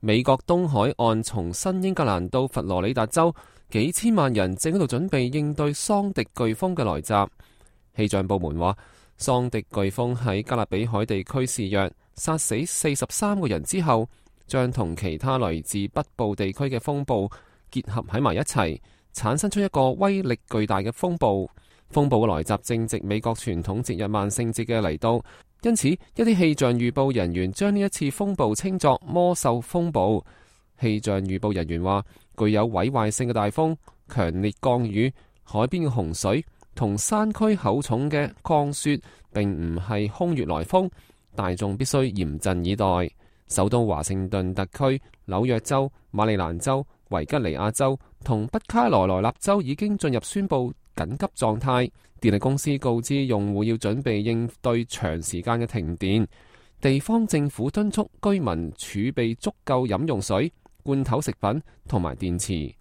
美國東海岸從新英格蘭到佛羅里達州，幾千萬人正喺度準備應對桑迪颶風嘅來襲。氣象部門話，桑迪颶風喺加勒比海地區肆虐，殺死43個人之後，將同其他來自北部地區嘅風暴結合喺埋一齊，產生出一個威力巨大嘅風暴。風暴嘅來襲正值美國傳統節日萬聖節嘅嚟到，因此一啲氣象預報人員將呢一次風暴稱作魔獸風暴。氣象預報人員話，具有毀壞性嘅大風、強烈降雨、海邊嘅洪水同山區厚重嘅降雪，並唔係空穴來風，大眾必須嚴陣以待。首都華盛頓特區、紐約州、馬里蘭州、維吉尼亞州同北卡羅來納州已經進入宣布緊急狀態。電力公司告知用戶要準備應對長時間嘅停電。地方政府敦促居民儲備足夠飲用水、罐頭食品同埋電池。